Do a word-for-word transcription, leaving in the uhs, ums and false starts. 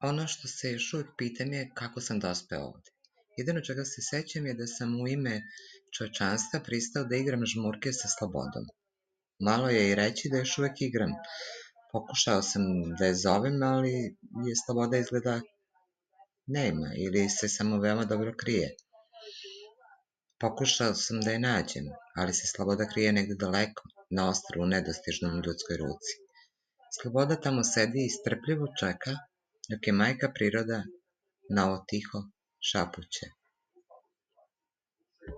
Ono što se još uvijek pitam je kako sam dospeo ovde. Jedino čega se sećam je da sam u ime čovečanstva pristao da igram žmurke sa slobodom. Malo je i reći da još uvek igram. Pokušao sam da je zovem, ali je sloboda izgleda nema ili se samo veoma dobro krije. Pokušao sam da je nađem, ali se sloboda krije negde daleko, na ostrvu nedostižnom ljudskoj ruci. Sloboda tamo sedi i strpljivo čeka, dok je majka priroda na ovo tiho šapuće.